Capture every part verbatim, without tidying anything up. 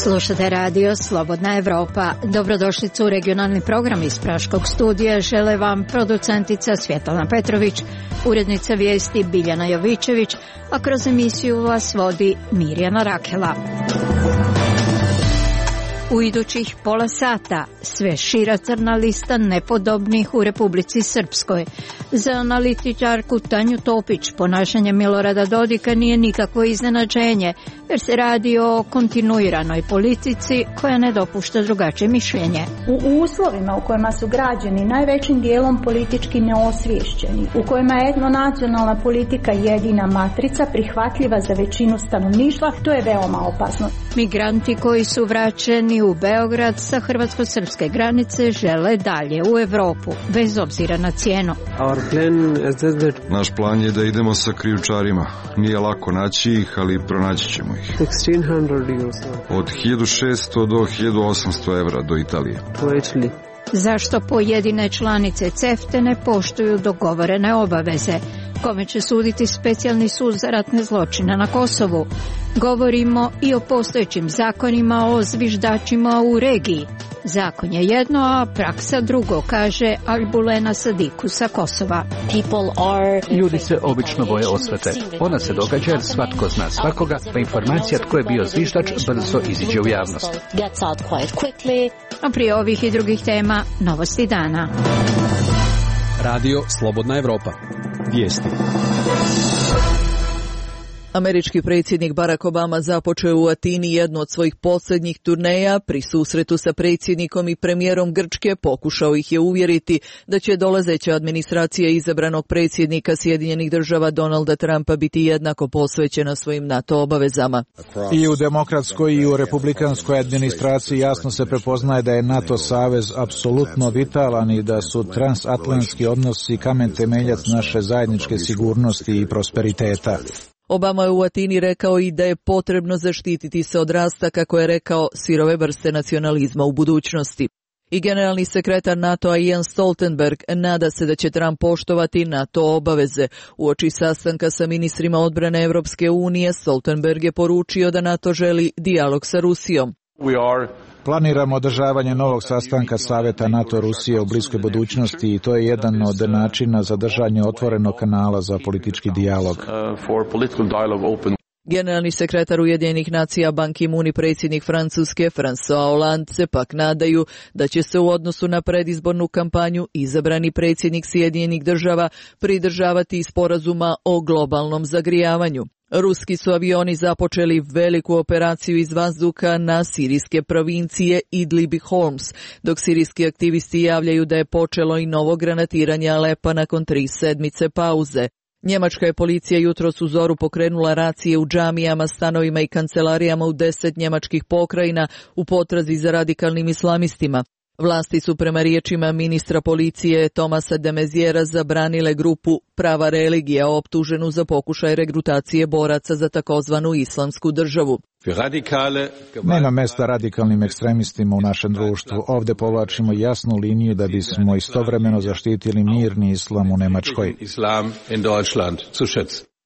Slušate radio Slobodna Evropa. Dobrodošlicu u regionalni program iz Praškog studija. Žele vam producentica Svjetlana Petrović, urednica vijesti Biljana Jovičević, a kroz emisiju vas vodi Mirjana Rakela. U idućih pola sata sve šira crna lista nepodobnih u Republici Srpskoj. Za analitičarku Tanju Topić ponašanje Milorada Dodika nije nikakvo iznenađenje, jer se radi o kontinuiranoj politici koja ne dopušta drugačije mišljenje. U uslovima u kojima su građani najvećim dijelom politički neosviješćeni, u kojima je etnonacionalna politika jedina matrica prihvatljiva za većinu stanovništva, to je veoma opasno. Migranti koji su vraćeni u Beograd sa hrvatsko-srpske granice žele dalje u Evropu, bez obzira na cijenu. Naš plan je da idemo sa krijumčarima. Nije lako naći ih, ali pronaći ćemo ih. Od hiljadu šesto do hiljadu osamsto evra do Italije. Zašto pojedine članice CEFTA ne poštuju dogovorene obaveze? Kome će suditi specijalni sud za ratne zločine na Kosovu? Govorimo i o postojećim zakonima o zviždačima u regiji. Zakon je jedno, a praksa drugo, kaže Albulena Sadiku sa Kosova. Ljudi se obično boje osvete. Ona se događa jer svatko zna svakoga, pa informacija tko je bio zviždač brzo iziđe u javnost. A prije ovih i drugih tema, novosti dana. Radio Slobodna Evropa. Vijesti. Američki predsjednik Barack Obama započeo u Atini jednu od svojih posljednjih turneja. Pri susretu sa predsjednikom i premijerom Grčke pokušao ih je uvjeriti da će dolazeća administracija izabranog predsjednika Sjedinjenih država Donalda Trumpa biti jednako posvećena svojim NATO obavezama. I u demokratskoj i u republikanskoj administraciji jasno se prepoznaje da je NATO savez apsolutno vitalan i da su transatlantski odnosi kamen temeljac naše zajedničke sigurnosti i prosperiteta. Obama je u Atini rekao i da je potrebno zaštititi se od rasta, kako je rekao, sirove vrste nacionalizma u budućnosti. I generalni sekretar NATO-a Jens Stoltenberg nada se da će Trump poštovati NATO obaveze. Uoči sastanka sa ministrima odbrane Evropske unije, Stoltenberg je poručio da NATO želi dijalog sa Rusijom. Planiramo održavanje novog sastanka Saveta NATO-Rusije u bliskoj budućnosti i to je jedan od načina za držanje otvorenog kanala za politički dijalog. Generalni sekretar Ujedinjenih nacija Ban Ki-moon i predsjednik Francuske François Hollande se pak nadaju da će se u odnosu na predizbornu kampanju izabrani predsjednik Sjedinjenih država pridržavati sporazuma o globalnom zagrijavanju. Ruski su avioni započeli veliku operaciju iz vazduha na sirijske provincije Idlib i Homs, dok sirijski aktivisti javljaju da je počelo i novo granatiranje Alepa nakon tri sedmice pauze. Njemačka je policija jutros u zoru pokrenula racije u džamijama, stanovima i kancelarijama u deset njemačkih pokrajina u potrazi za radikalnim islamistima. Vlasti su prema riječima ministra policije Tomasa de Maizièra zabranile grupu Prava religija optuženu za pokušaj regrutacije boraca za takozvanu islamsku državu. Nema mesta radikalnim ekstremistima u našem društvu. Ovdje povlačimo jasnu liniju da bismo istovremeno zaštitili mirni islam u Njemačkoj.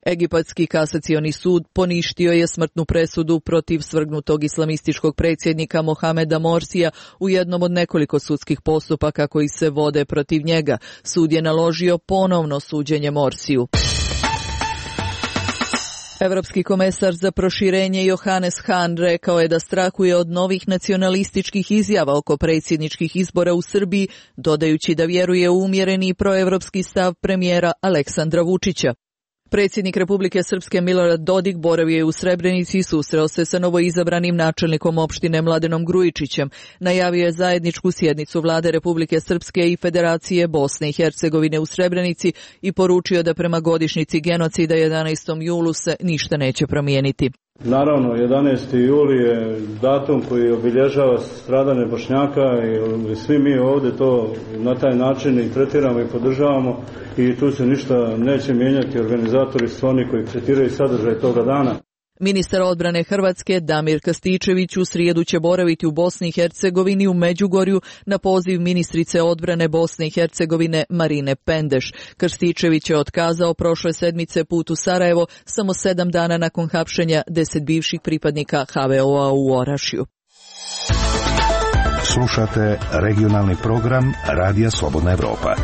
Egipatski kasacioni sud poništio je smrtnu presudu protiv svrgnutog islamističkog predsjednika Mohameda Morsija u jednom od nekoliko sudskih postupaka koji se vode protiv njega. Sud je naložio ponovno suđenje Morsiju. Evropski komesar za proširenje Johannes Hahn rekao je da strahuje od novih nacionalističkih izjava oko predsjedničkih izbora u Srbiji, dodajući da vjeruje u umjereni proevropski stav premijera Aleksandra Vučića. Predsjednik Republike Srpske Milorad Dodik boravio je u Srebrenici i susreo se sa novoizabranim načelnikom opštine Mladenom Grujičićem. Najavio je zajedničku sjednicu vlade Republike Srpske i Federacije Bosne i Hercegovine u Srebrenici i poručio da prema godišnjici genocida jedanaestom julu se ništa neće promijeniti. Naravno, jedanaesti juli je datum koji obilježava stradanje Bošnjaka i svi mi ovdje to na taj način i tretiramo i podržavamo i tu se ništa neće mijenjati. Organizatori su oni koji tretiraju sadržaj toga dana. Ministar odbrane Hrvatske Damir Krstičević u srijedu će boraviti u Bosni i Hercegovini u Međugorju na poziv ministrice odbrane Bosne i Hercegovine Marine Pendeš. Krstičević je otkazao prošle sedmice put u Sarajevo samo sedam dana nakon hapšenja deset bivših pripadnika ha ve o-a u Orašju. Slušate regionalni program Radija Slobodna Evropa.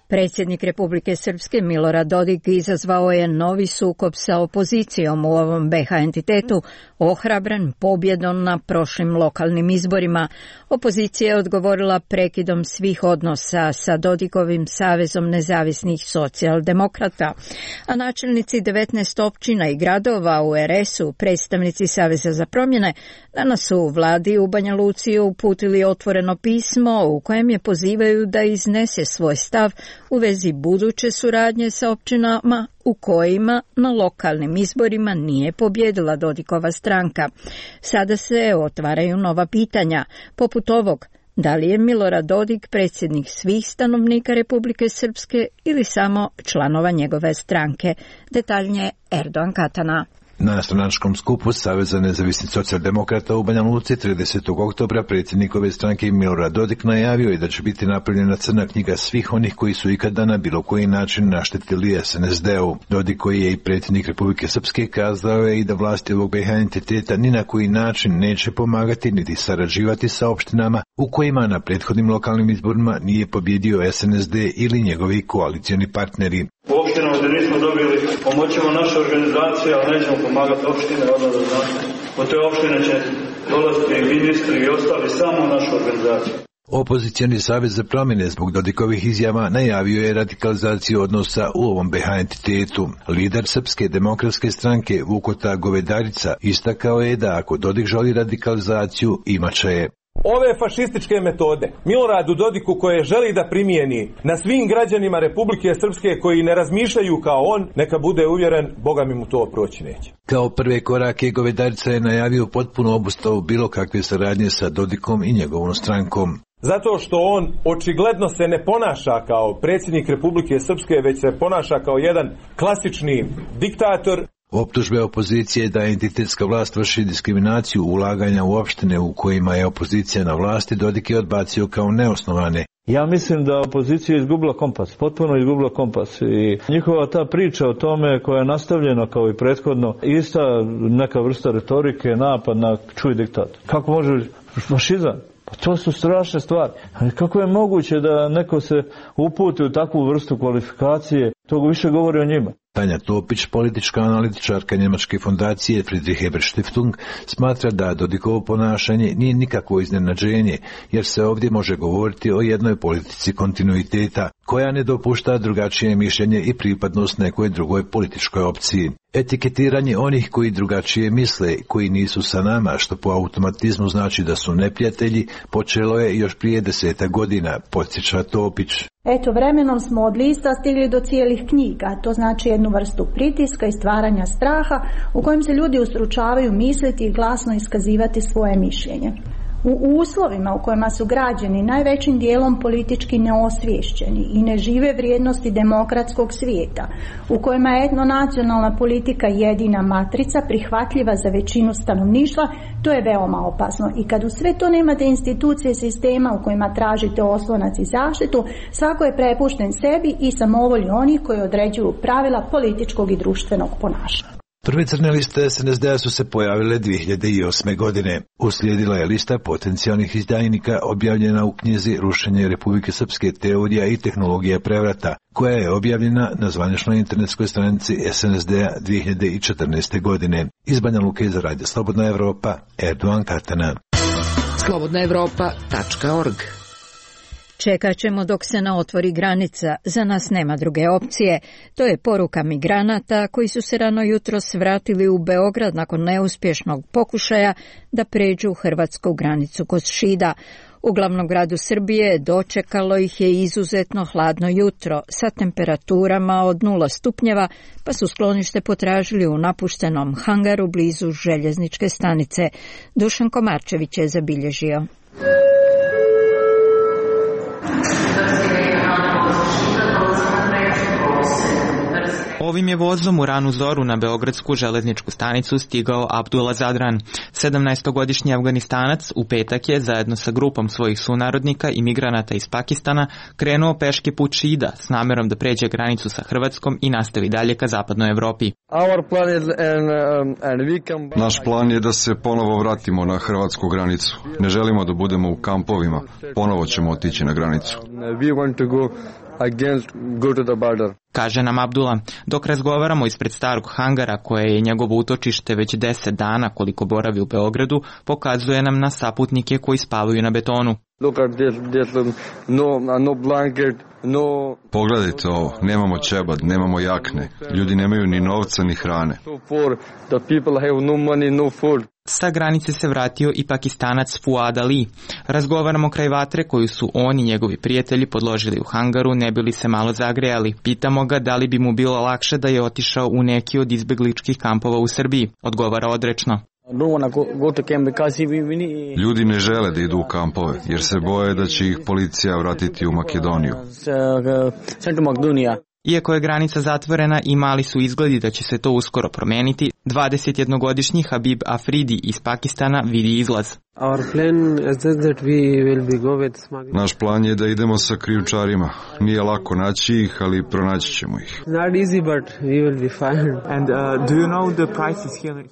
Predsjednik Republike Srpske Milorad Dodik izazvao je novi sukob sa opozicijom u ovom be ha entitetu, ohrabren pobjedom na prošlim lokalnim izborima. Opozicija je odgovorila prekidom svih odnosa sa Dodikovim Savezom nezavisnih socijaldemokrata, a načelnici devetnaest općina i gradova u er es-u, predstavnici Saveza za promjene, danas su u vladi u Banja Luci uputili otvoreno pismo u kojem je pozivaju da iznese svoj stav u vezi buduće suradnje sa općinama u kojima na lokalnim izborima nije pobjedila Dodikova stranka. Sada se otvaraju nova pitanja, poput ovog: da li je Milorad Dodik predsjednik svih stanovnika Republike Srpske ili samo članova njegove stranke? Detaljnije Erdogan Katana. Na stranačkom skupu Saveza nezavisnih socijaldemokrata u Banja Luci tridesetog oktobra predsjednikove stranke Milorad Dodik najavio je da će biti napravljena crna knjiga svih onih koji su ikada na bilo koji način naštetili es en es de-u. Dodik, koji je i predsjednik Republike Srpske, kazao je i da vlasti ovog be ha entiteta ni na koji način neće pomagati niti sarađivati sa opštinama u kojima na prethodnim lokalnim izborima nije pobjedio es en es de ili njegovi koalicioni partneri. U opštinama gdje nismo dobili, pomoćemo naše organizacije, ali nećemo pomagati opštine, odnosno da znate. Od te opštine će dolaziti i ministri i ostali samo u našu organizaciju. Opozicioni Savez za promjene zbog Dodikovih izjava najavio je radikalizaciju odnosa u ovom be ha entitetu. Lider Srpske demokratske stranke Vukota Govedarica istakao je da ako Dodik želi radikalizaciju, imaće je. Ove fašističke metode Miloradu Dodiku koje želi da primijeni na svim građanima Republike Srpske koji ne razmišljaju kao on, neka bude uvjeren, Boga mi mu to proći neće. Kao prve korake Govedarica je najavio potpuno obustavu bilo kakve saradnje sa Dodikom i njegovom strankom. Zato što on očigledno se ne ponaša kao predsjednik Republike Srpske, već se ponaša kao jedan klasični diktator. Optužbe opozicije da entitetska vlast vrši diskriminaciju ulaganja u opštine u kojima je opozicija na vlasti, Dodik je odbacio kao neosnovane. Ja mislim da opozicija je izgubila kompas, potpuno izgubila kompas i njihova ta priča o tome koja je nastavljena kao i prethodno, ista neka vrsta retorike, napad na čuj diktator. Kako može fašizam? Pa to su strašne stvari. Kako je moguće da neko se uputi u takvu vrstu kvalifikacije, to više govori o njima. Tanja Topić, politička analitičarka njemačke fondacije Friedrich Ebert Stiftung, smatra da Dodikovo ponašanje nije nikakvo iznenađenje, jer se ovdje može govoriti o jednoj politici kontinuiteta, koja ne dopušta drugačije mišljenje i pripadnost nekoj drugoj političkoj opciji. Etiketiranje onih koji drugačije misle, koji nisu sa nama, što po automatizmu znači da su neprijatelji, počelo je još prije deseta godina, podsjeća Topić. Eto, vremenom smo od lista stigli do cijelih knjiga, to znači jednu vrstu pritiska i stvaranja straha u kojem se ljudi ustručavaju misliti i glasno iskazivati svoje mišljenje. U uslovima u kojima su građani najvećim dijelom politički neosviješćeni i ne žive vrijednosti demokratskog svijeta, u kojima je etnonacionalna politika jedina matrica prihvatljiva za većinu stanovništva, to je veoma opasno. I kad u sve to nemate institucije sistema u kojima tražite oslonac i zaštitu, svako je prepušten sebi i samovolji onih koji određuju pravila političkog i društvenog ponašanja. Prve crne liste es en es de-a su se pojavile dvije hiljade osme. godine. Uslijedila je lista potencijalnih izdajnika objavljena u knjizi Rušenje Republike Srpske, teorija i tehnologija prevrata, koja je objavljena na zvaničnoj internetskoj stranici es en es de-a dvije hiljade četrnaeste. godine. Iz Banja Luke za Radio Slobodna Evropa, Erdogan Katana. slobodna evropa tačka org. Čekat ćemo dok se ne otvori granica, za nas nema druge opcije. To je poruka migranata koji su se rano jutros vratili u Beograd nakon neuspješnog pokušaja da pređu hrvatsku granicu kod Šida. U glavnom gradu Srbije dočekalo ih je izuzetno hladno jutro sa temperaturama od nula stupnjeva, pa su sklonište potražili u napuštenom hangaru blizu željezničke stanice. Dušan Komarčević je zabilježio. Ovim Ovim je vozom u ranu zoru na beogradsku železničku stanicu stigao Abdullah Zadran. sedamnaestogodišnji Afganistanac u petak je zajedno sa grupom svojih sunarodnika i migranata iz Pakistana krenuo peške put Šida s namerom da pređe granicu sa Hrvatskom i nastavi dalje ka zapadnoj Evropi. Naš plan je da se ponovo vratimo na hrvatsku granicu. Ne želimo da budemo u kampovima. Ponovo ćemo otići na granicu. Kaže nam Abdullah, dok razgovaramo ispred starog hangara koje je njegovo utočište već deset dana koliko boravi u Beogradu, pokazuje nam na saputnike koji spavaju na betonu. Pogledajte ovo, nemamo ćebad, nemamo jakne, ljudi nemaju ni novca ni hrane. Sa granice se vratio i Pakistanac Fuad Ali. Razgovaramo kraj vatre koju su on i njegovi prijatelji podložili u hangaru, ne bili se malo zagrejali. Pitamo ga da li bi mu bilo lakše da je otišao u neki od izbegličkih kampova u Srbiji. Odgovara odrečno. Ljudi ne žele da idu u kampove, jer se boje da će ih policija vratiti u Makedoniju. Iako je granica zatvorena i mali su izgledi da će se to uskoro promeniti, dvadesetjednogodišnji Habib Afridi iz Pakistana vidi izlaz. Naš plan je da idemo sa krijumčarima. Nije lako naći ih, ali pronaći ćemo ih.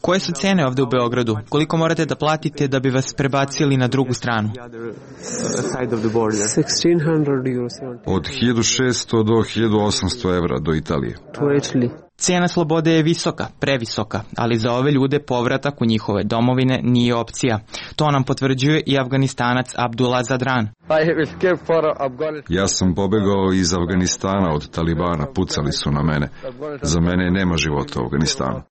Koje su cene ovdje u Beogradu? Koliko morate da platite da bi vas prebacili na drugu stranu? Od hiljadu šesto do hiljadu osamsto evra do Italije. Cijena slobode je visoka, previsoka, ali za ove ljude povratak u njihove domovine nije opcija. To nam potvrđuje i Afganistanac Abdullah Zadran. Ja sam pobegao iz Afganistana od Talibana, pucali su na mene. Za mene nema života u Afganistanu.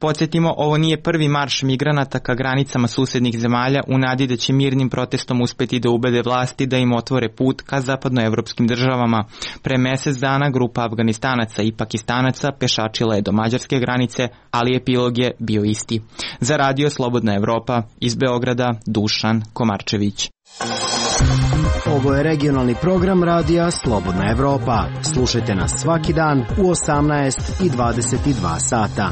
Podsjetimo, ovo nije prvi marš migranata ka granicama susjednih zemalja u nadi da će mirnim protestom uspeti da ubede vlasti da im otvore put ka zapadnoevropskim državama. Pre mjesec dana grupa Afganistanaca i Pakistanaca pešačila je do mađarske granice, ali epilog je bio isti. Za Radio Slobodna Evropa, iz Beograda, Dušan Komarčević. Ovo je regionalni program Radija Slobodna Evropa. Slušajte nas svaki dan u osamnaest i dvadeset dva sata.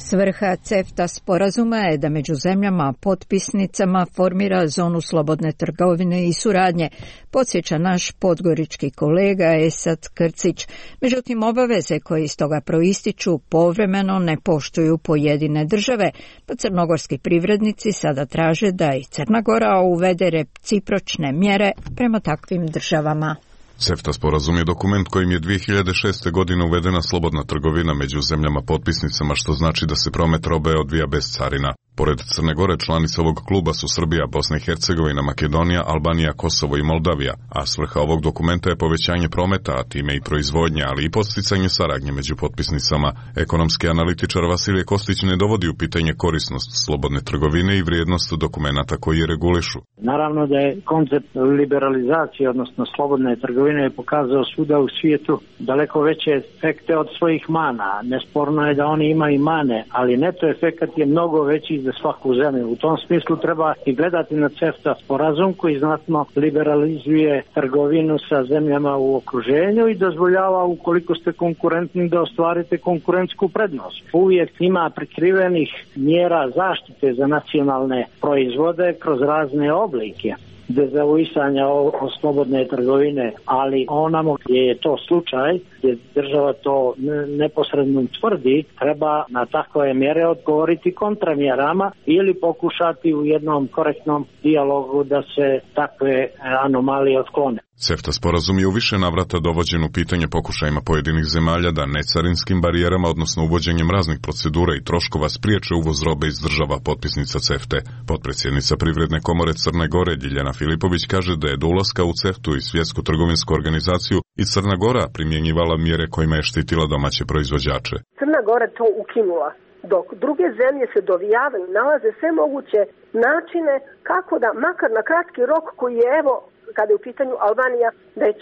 Svrha CEFTA sporazuma je da među zemljama potpisnicama formira zonu slobodne trgovine i suradnje, podsjeća naš podgorički kolega Esad Krcić. Međutim, obaveze koje iz toga proističu povremeno ne poštuju pojedine države, pa crnogorski privrednici sada traže da i Crna Gora uvede recipročne mjere prema takvim državama. CEFTA sporazum je dokument kojim je dvije hiljade šeste. godine uvedena slobodna trgovina među zemljama potpisnicama, što znači da se promet robe odvija bez carina. Pored Crne Gore, članice ovog kluba su Srbija, Bosna i Hercegovina, Makedonija, Albanija, Kosovo i Moldavija, a svrha ovog dokumenta je povećanje prometa, a time i proizvodnje, ali i podsticanje saradnje među potpisnicama. Ekonomski analitičar Vasilije Kostić ne dovodi u pitanje korisnost slobodne trgovine i vrijednost dokumenata koji je regulišu. Naravno da je koncept liberalizacije, odnosno slobodne trgovine, je pokazao svuda u svijetu daleko veće efekte od svojih mana. Nesporno je da oni imaju i mane, ali neto efekat je mnogo veći za svaku zemlju. U tom smislu treba i gledati na CEFTA sporazum koji znatno liberalizuje trgovinu sa zemljama u okruženju i dozvoljava, ukoliko ste konkurentni, da ostvarite konkurentsku prednost. Uvijek ima prikrivenih mjera zaštite za nacionalne proizvode kroz razne oblike dezavuisanja o, o slobodne trgovine, ali onamo gdje je to slučaj, gdje država to neposredno tvrdi, treba na takve mjere odgovoriti kontramjerama ili pokušati u jednom korektnom dijalogu da se takve anomalije otklone. CEFTA sporazum je u više navrata dovođen u pitanje pokušajima pojedinih zemalja da necarinskim barijerama, odnosno uvođenjem raznih procedura i troškova, spriječe uvoz robe iz država potpisnica CEFTA. Potpredsjednica Privredne komore Crne Gore Ljiljana Filipović kaže da je do ulaska u CEFTA-u i Svjetsku trgovinsku organizaciju i Crna Gora primjenjivala mjere kojima je štitila domaće proizvođače. Crna Gora to ukinula, dok druge zemlje se dovijavaju, nalaze sve moguće načine kako da, makar na kratki rok koji je, evo, kada je u pitanju Albanija već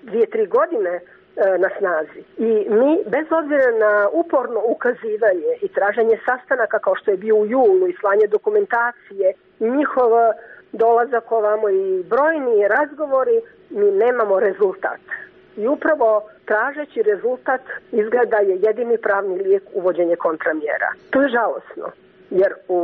dvije, tri godine e, na snazi. I mi, bez obzira na uporno ukazivanje i traženje sastanaka kao što je bio u julu i slanje dokumentacije, njihov dolazak ovamo i brojni razgovori, mi nemamo rezultat. i upravo tražeći rezultat izgleda je jedini pravni lijek uvođenje kontramjera. To je žalosno, jer u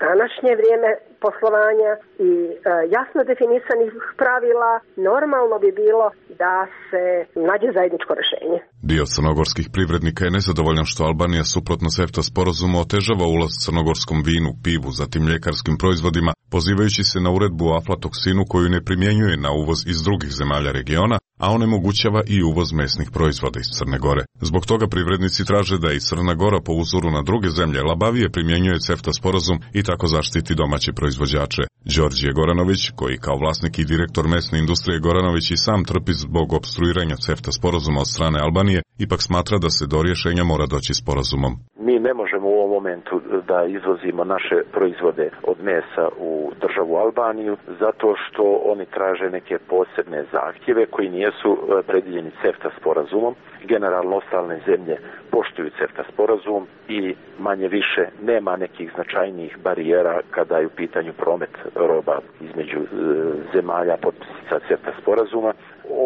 današnje vrijeme poslovanja i e, jasno definisanih pravila normalno bi bilo da se nađe zajedničko rješenje. Dio crnogorskih privrednika je nezadovoljan što Albanija suprotno CEFTA sporazumu otežava ulaz crnogorskom vinu, pivu, zatim mljekarskim proizvodima, pozivajući se na uredbu o aflatoksinu koju ne primjenjuje na uvoz iz drugih zemalja regiona, a onemogućava i uvoz mesnih proizvoda iz Crne Gore. Zbog toga privrednici traže da i Crna Gora po uzoru na druge zemlje labavije primjenjuje CEFTA sporazum i tako zaštiti domaće proizvođače. Đorđije Goranović, koji kao vlasnik i direktor mesne industrije Goranović i sam trpi zbog opstruiranja CEFTA sporazuma od strane Albanije, ipak smatra da se do rješenja mora doći sporazumom. Mi ne možemo u ovom momentu da izvozimo naše proizvode od mesa u državu Albaniju zato što oni traže neke posebne zahtjeve koji nisu predviđeni CEFTA sporazumom. Generalno ostale zemlje poštuju CEFTA sporazum i manje više nema nekih značajnijih barijera kada je u pitanju promet roba između zemalja potpisnica CEFTA sporazuma.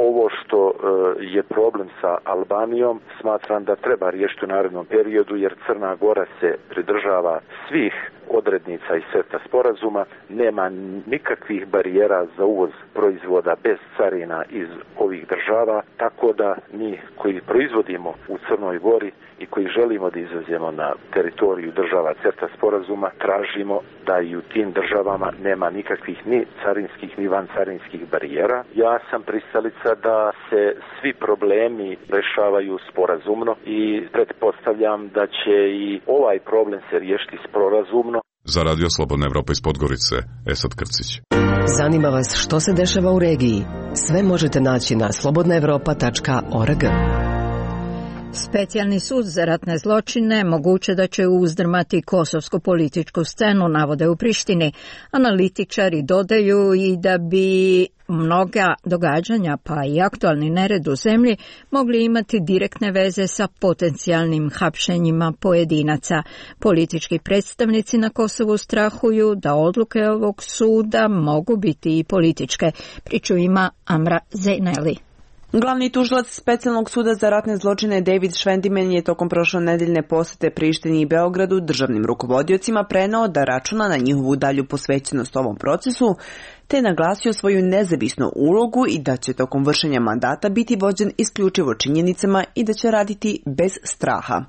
Ovo što je problem sa Albanijom smatram da treba riješiti u narednom periodu jer Crna Gora se pridržava svih odrednica iz CEFTA sporazuma, nema nikakvih barijera za uvoz proizvoda bez carina iz ovih država, tako da mi koji proizvodimo u Crnoj Gori i koji želimo da izvozimo na teritoriju država CEFTA sporazuma, tražimo da i u tim državama nema nikakvih ni carinskih ni vancarinskih barijera. Ja sam pristalica da se svi problemi rešavaju sporazumno i pretpostavljam da će i ovaj problem se riješiti sporazumno. Za Radio Slobodna Evropa iz Podgorice, Esad Krcić. Zanima vas što se dešava u regiji? Sve možete naći na slobodna evropa tačka org. Specijalni sud za ratne zločine moguće da će uzdrmati kosovsku političku scenu, navode u Prištini. Analitičari dodaju i da bi mnoga događanja, pa i aktualni nered u zemlji, mogli imati direktne veze sa potencijalnim hapšenjima pojedinaca. Politički predstavnici na Kosovu strahuju da odluke ovog suda mogu biti i političke. Priču ima Amra Zejneli. Glavni tužilac Specijalnog suda za ratne zločine David Švendimen je tokom prošle nedeljne posete Prištini i Beogradu državnim rukovodiocima preneo da računa na njihovu dalju posvećenost ovom procesu, te naglasio svoju nezavisnu ulogu i da će tokom vršenja mandata biti vođen isključivo činjenicama i da će raditi bez straha.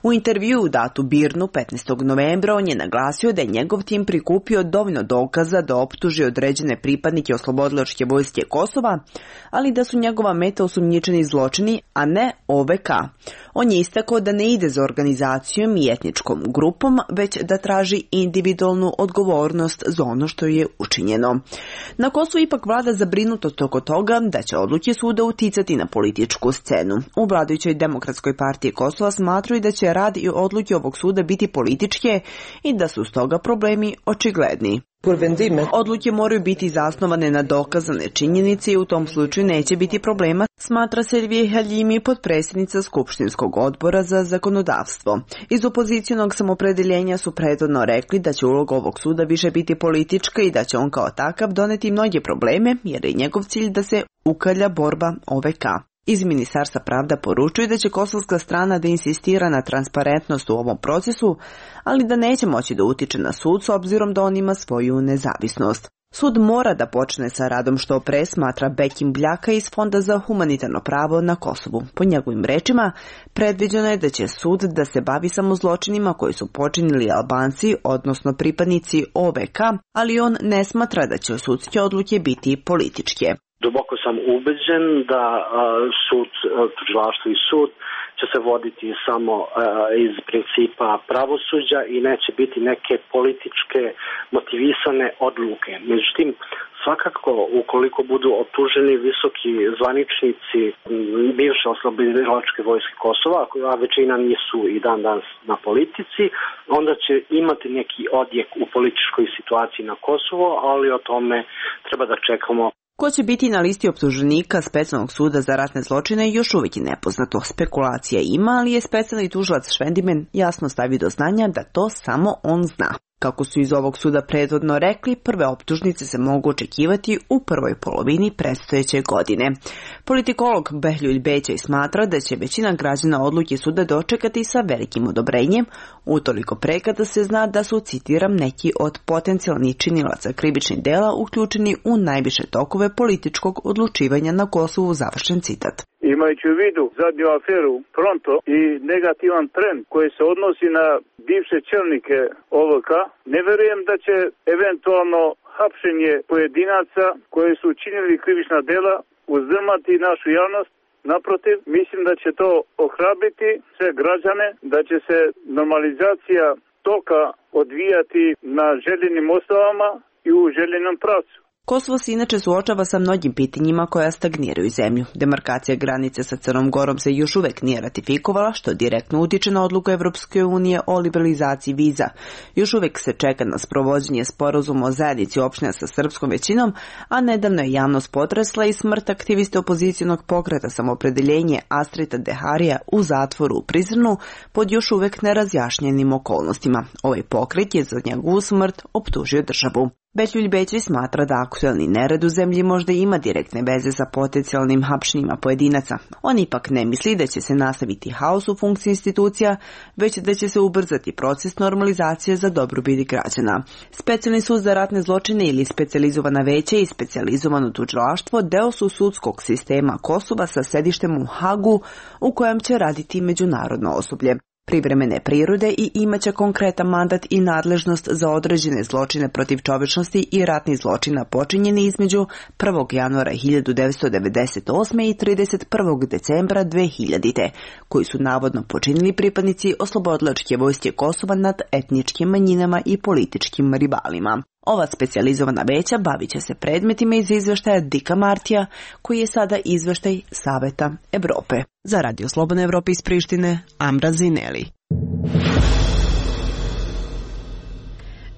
U intervju datu Birnu petnaestog novembra on je naglasio da je njegov tim prikupio dovoljno dokaza da optuži određene pripadnike oslobodilačke vojske Kosova, ali da su njegova meta osumnjičeni zločini, a ne O V K. On je istakao da ne ide za organizacijom i etničkom grupom, već da traži individualnu odgovornost za ono što je učinjeno. Na Kosovu ipak vlada zabrinutost oko toga da će odluke suda uticati na političku scenu. U vladajućoj Demokratskoj partiji Kosova smatraju da će rad i odluke ovog suda biti političke i da su stoga problemi očigledni. Odluke moraju biti zasnovane na dokazane činjenice i u tom slučaju neće biti problema, smatra Selvije Haljimi, potpredsjednica Skupštinskog odbora za zakonodavstvo. Iz opozicionog samopredeljenja su prethodno rekli da će uloga ovog suda više biti politička i da će on kao takav doneti mnoge probleme, jer je njegov cilj da se ukalja borba O V K. Iz Ministarstva pravda poručuju da će kosovska strana da insistira na transparentnost u ovom procesu, ali da neće moći da utiče na sud s obzirom da on ima svoju nezavisnost. Sud mora da počne sa radom što pre, smatra Bekim Bljaka iz Fonda za humanitarno pravo na Kosovu. Po njegovim rečima, predviđeno je da će sud da se bavi samo zločinima koji su počinili Albanci, odnosno pripadnici O V K, ali on ne smatra da će sudske odluke biti političke. Duboko sam ubeđen da a, sud, tužilaštvo i sud će se voditi samo a, iz principa pravosuđa i neće biti neke političke motivisane odluke. Međutim, svakako ukoliko budu optuženi visoki zvaničnici bivše oslobodilačke vojske Kosova, a većina nisu i dan danas na politici, onda će imati neki odjek u političkoj situaciji na Kosovo, ali o tome treba da čekamo. Ko će biti na listi optuženika Specijalnog suda za ratne zločine još uvijek je nepoznato. Spekulacija ima, ali je specijalni tužilac Švendimen jasno stavio do znanja da to samo on zna. Kako su iz ovog suda prethodno rekli, prve optužnice se mogu očekivati u prvoj polovini predstojeće godine. Politikolog Behljuljs Bećaj smatra da će većina građana odluke suda dočekati sa velikim odobrenjem, utoliko pre kada se zna da su, citiram, neki od potencijalnih činilaca krivičnih dela uključeni u najviše tokove političkog odlučivanja na Kosovu, završen citat. Imajući u vidu zadnju aferu Pronto i negativan trend koji se odnosi na bivše čelnike O V K, ne verujem da će eventualno hapšenje pojedinaca koji su učinili krivična dela uzdrmati našu javnost. Naprotiv, mislim da će to ohrabriti sve građane, da će se normalizacija toka odvijati na željenim osnovama i u željenom pravcu. Kosovo se inače suočava sa mnogim pitanjima koja stagniraju zemlju. Demarkacija granice sa Crnom Gorom se još uvek nije ratifikovala, što direktno utiče na odluku Evropske unije o liberalizaciji viza. Još uvek se čeka na sprovođenje sporazuma o zajednici opština sa srpskom većinom, a nedavno je javnost potresla i smrt aktiviste opozicionog pokreta Samoopredeljenje Astrita Deharija u zatvoru u Prizrenu pod još uvek nerazjašnjenim okolnostima. Ovaj pokret je za njegovu smrt optužio državu. Behljuljs Bećaj smatra da aktuelni nered u zemlji možda ima direktne veze sa potencijalnim hapšenjima pojedinaca. On ipak ne misli da će se nastaviti haos u funkciji institucija, već da će se ubrzati proces normalizacije za dobrobit građana. Specijalni sud za ratne zločine ili specijalizovana veća i specijalizovano tužilaštvo deo su sudskog sistema Kosova sa sedištem u Hagu, u kojem će raditi međunarodno osoblje privremene prirode i imaće konkretan mandat i nadležnost za određene zločine protiv čovečnosti i ratni zločina počinjeni između prvog januara hiljadu devetsto devedeset osme i trideset prvog decembra dve hiljadite, koji su navodno počinili pripadnici oslobodilačke vojske Kosova nad etničkim manjinama i političkim rivalima. Ova specijalizovana veća bavit će se predmetima iz izveštaja Dika Martija, koji je sada izveštaj Saveta Evrope. Za Radio Slobodna Evropa iz Prištine, Amra Zineli.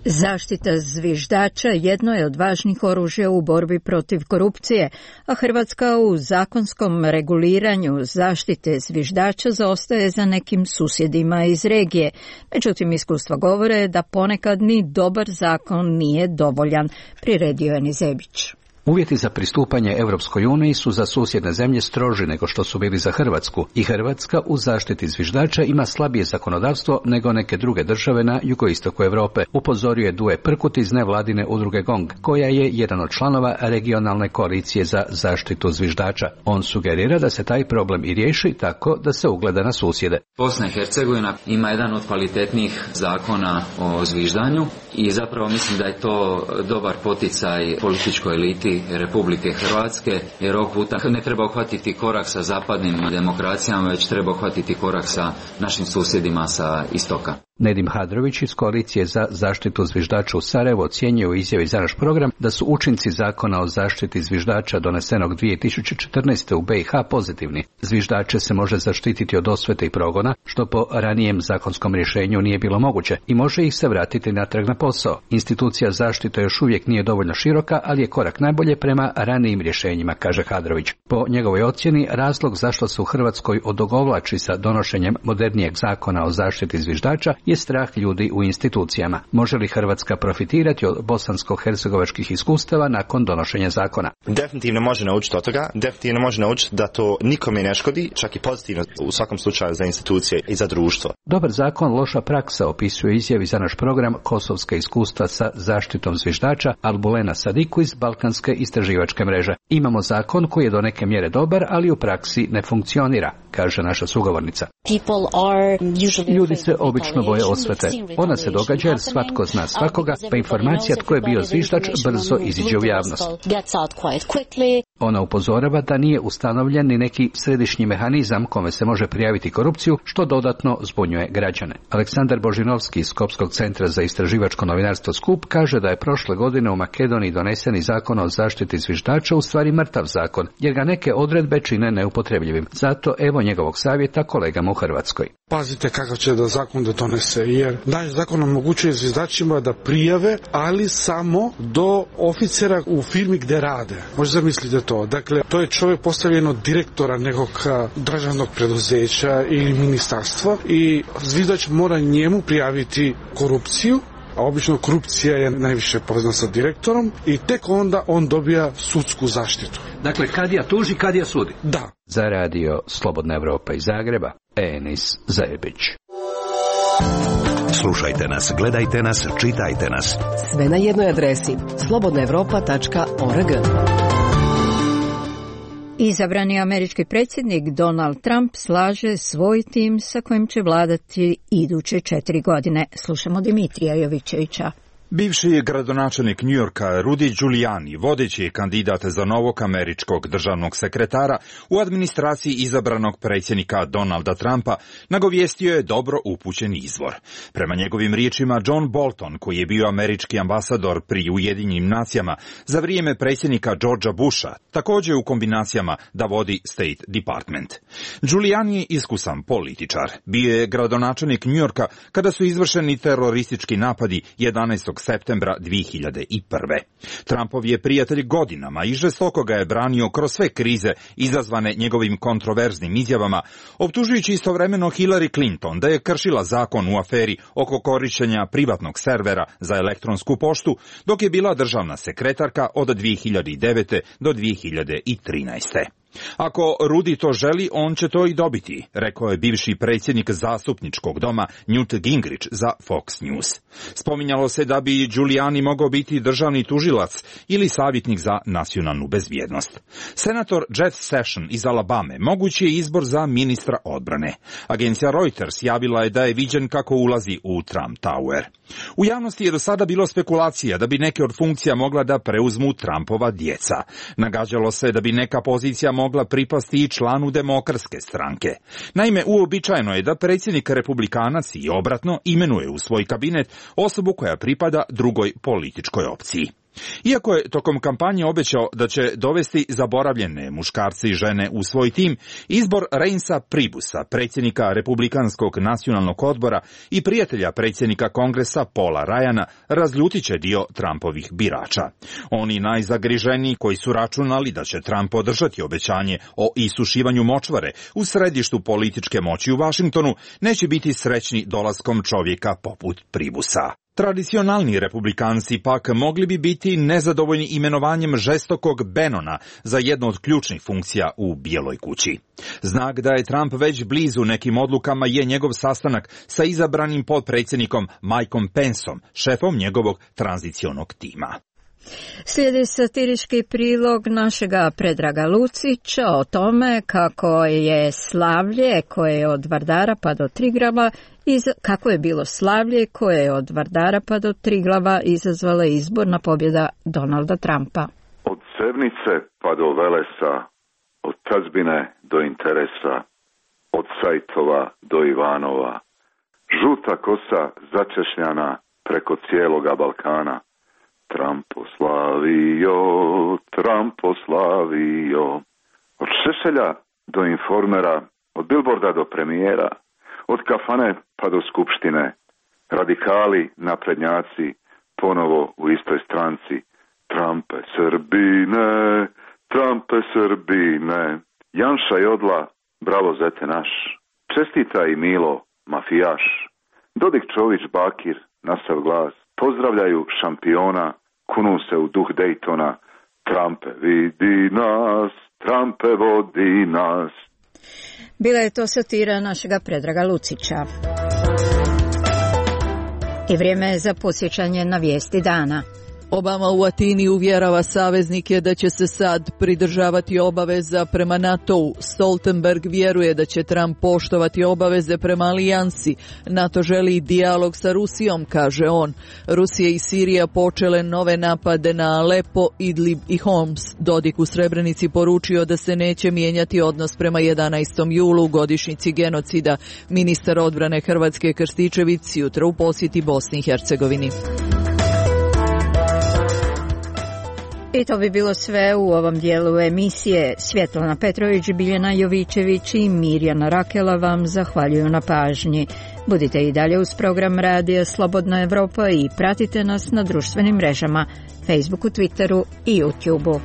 Zaštita zviždača jedno je od važnih oružja u borbi protiv korupcije, a Hrvatska u zakonskom reguliranju zaštite zviždača zaostaje za nekim susjedima iz regije. Međutim, iskustva govore da ponekad ni dobar zakon nije dovoljan, priredio je Nizebić. Uvjeti za pristupanje Europskoj uniji su za susjedne zemlje stroži nego što su bili za Hrvatsku i Hrvatska u zaštiti zviždača ima slabije zakonodavstvo nego neke druge države na jugoistoku Europe, upozorio je Duje Prkut iz nevladine udruge GONG, koja je jedan od članova regionalne koalicije za zaštitu zviždača. On sugerira da se taj problem i riješi tako da se ugleda na susjede. Bosna i Hercegovina ima jedan od kvalitetnih zakona o zviždanju i zapravo mislim da je to dobar poticaj političkoj eliti Republike Hrvatske, jer ovog puta ne treba uhvatiti korak sa zapadnim demokracijama, već treba uhvatiti korak sa našim susjedima sa istoka. Nedim Hadrović iz koalicije za zaštitu zviždača u Sarajevu ocjenjuje u izjavi za naš program da su učinci zakona o zaštiti zviždača donesenog dvije tisuće četrnaeste. u B i H pozitivni. Zviždače se može zaštititi od osvete i progona, što po ranijem zakonskom rješenju nije bilo moguće, i može ih se vratiti natrag na posao. Institucija zaštite još uvijek nije dovoljno široka, ali je korak najbolje prema ranijim rješenjima, kaže Hadrović. Po njegovoj ocjeni, razlog zašto se u Hrvatskoj odugovlači sa donošenjem modernijeg zakona o zaštiti zviždača je strah ljudi u institucijama. Može li Hrvatska profitirati od bosansko-hercegovačkih iskustava nakon donošenja zakona? Definitivno može naučiti od toga, definitivno može naučiti da to nikome ne škodi, čak i pozitivno u svakom slučaju za institucije i za društvo. Dobar zakon, loša praksa, opisuje izjavi za naš program Kosovska iskustva sa zaštitom zviždača Albulena Sadiku iz Balkanske istraživačke mreže. Imamo zakon koji je do neke mjere dobar, ali u praksi ne funkcionira, kaže naša sugovornica. Ljudi se obično boje osvete. Ona se događa jer svatko zna svakoga, pa informacija tko je bio zviždač brzo iziđe u javnost. Ona upozorava da nije ustanovljen ni neki središnji mehanizam kome se može prijaviti korupciju, što dodatno zbunjuje građane. Aleksandar Božinovski iz Skopskog centra za istraživačko novinarstvo Skup kaže da je prošle godine u Makedoniji doneseni zakon o zaštiti zviždača u stvari mrtav zakon, jer ga neke odredbe čine neupotrebljivim. Zato evo njegovog savjeta kolegama u Hrvatskoj. Pazite kakav će da zakon da donese, jer naš zakon omogućuje zviždačima da prijave, ali samo do oficera u firmi gde rade. Možete zamislite to. Dakle, to je čovjek postavljen od direktora nekog državnog preduzeća ili ministarstva i zviždač mora njemu prijaviti korupciju a obično korupcija je najviše povezana sa direktorom i tek onda on dobija sudsku zaštitu. Dakle, kadija tuži, kadija sudi. Da. Za radio Slobodna Evropa iz Zagreba, Enis Zajebić. Slušajte nas, gledajte nas, čitajte nas. Sve na jednoj adresi slobodna evropa tačka org. Izabrani američki predsjednik Donald Trump slaže svoj tim sa kojim će vladati iduće četiri godine. Slušamo Dimitrija Jovićevića. Bivši je gradonačelnik Njujorka Rudy Giuliani, vodeći kandidat za novog američkog državnog sekretara u administraciji izabranog predsjednika Donalda Trumpa, nagovijestio je dobro upućen izvor. Prema njegovim riječima, John Bolton, koji je bio američki ambasador pri Ujedinjenim nacijama za vrijeme predsjednika Georgea Busha, također u kombinacijama da vodi State Department. Giuliani je iskusan političar. Bio je gradonačelnik Njujorka kada su izvršeni teroristički napadi jedanaestog septembra dvije hiljade prve. Trumpov je prijatelj godinama i žestoko ga je branio kroz sve krize izazvane njegovim kontroverznim izjavama, optužujući istovremeno Hillary Clinton da je kršila zakon u aferi oko korištenja privatnog servera za elektronsku poštu, dok je bila državna sekretarka od dvije hiljade devete do dvije hiljade trinaeste. Ako Rudy to želi, on će to i dobiti, rekao je bivši predsjednik zastupničkog doma Newt Gingrich za Fox News. Spominjalo se da bi Giuliani mogao biti državni tužilac ili savjetnik za nacionalnu bezbjednost. Senator Jeff Sessions iz Alabame mogući je izbor za ministra odbrane. Agencija Reuters javila je da je viđen kako ulazi u Trump Tower. U javnosti je do sada bilo spekulacija da bi neke od funkcija mogla da preuzmu Trumpova djeca. Nagađalo se da bi neka pozicija mogla pripasti i članu demokratske stranke. Naime, uobičajeno je da predsjednik republikanac i obratno imenuje u svoj kabinet osobu koja pripada drugoj političkoj opciji. Iako je tokom kampanje obećao da će dovesti zaboravljene muškarce i žene u svoj tim, izbor Reinsa Pribusa, predsjednika Republikanskog nacionalnog odbora i prijatelja predsjednika Kongresa Paula Ryana, razljutit će dio Trumpovih birača. Oni najzagriženiji koji su računali da će Trump podržati obećanje o isušivanju močvare u središtu političke moći u Vašingtonu, neće biti srećni dolaskom čovjeka poput Pribusa. Tradicionalni republikanci pak mogli bi biti nezadovoljni imenovanjem žestokog Bannona za jednu od ključnih funkcija u Bijeloj kući. Znak da je Trump već blizu nekim odlukama je njegov sastanak sa izabranim potpredsjednikom Mikeom Penceom, šefom njegovog tranzicionog tima. Slijedi satirički prilog našega Predraga Lucića o tome kako je slavlje koje je od Vardara pa do Triglava iz, kako je bilo slavlje koje je od Vardara pa do Triglava izazvala izborna pobjeda Donalda Trumpa. Od Sevnice pa do Velesa, od tazbine do interesa, od Sajtova do Ivanova, žuta kosa začešljana preko cijeloga Balkana. Trumpo slavio, Trumpo slavio. Od Šešelja do Informera, od Billboarda do premijera, od kafane pa do skupštine, radikali, naprednjaci, ponovo u istoj stranci. Trumpe Srbine, Trumpe Srbine. Janša Jodla, bravo zete naš. Čestita i Milo, mafijaš. Dodik Čović Bakir, nasav glas. Pozdravljaju šampiona, kunu se u duh Daytona. Trumpe vidi nas, Trumpe vodi nas. Bila je to satira našega Predraga Lucića. I vrijeme je za posjećanje na vijesti dana. Obama u Atini uvjerava saveznike da će se sad pridržavati obaveza prema NATO-u. Stoltenberg vjeruje da će Trump poštovati obaveze prema alijansi. NATO želi dijalog sa Rusijom, kaže on. Rusija i Sirija počele nove napade na Alepo, Idlib i Homs. Dodik u Srebrenici poručio da se neće mijenjati odnos prema jedanaestom julu, godišnjici genocida. Ministar odbrane Hrvatske Krstičević jutra u posjeti Bosni i Hercegovini. I to bi bilo sve u ovom dijelu emisije. Svjetlana Petrović, Biljana Jovićević i Mirjana Rakela vam zahvaljuju na pažnji. Budite i dalje uz program Radija Slobodna Evropa i pratite nas na društvenim mrežama, Facebooku, Twitteru i YouTubeu.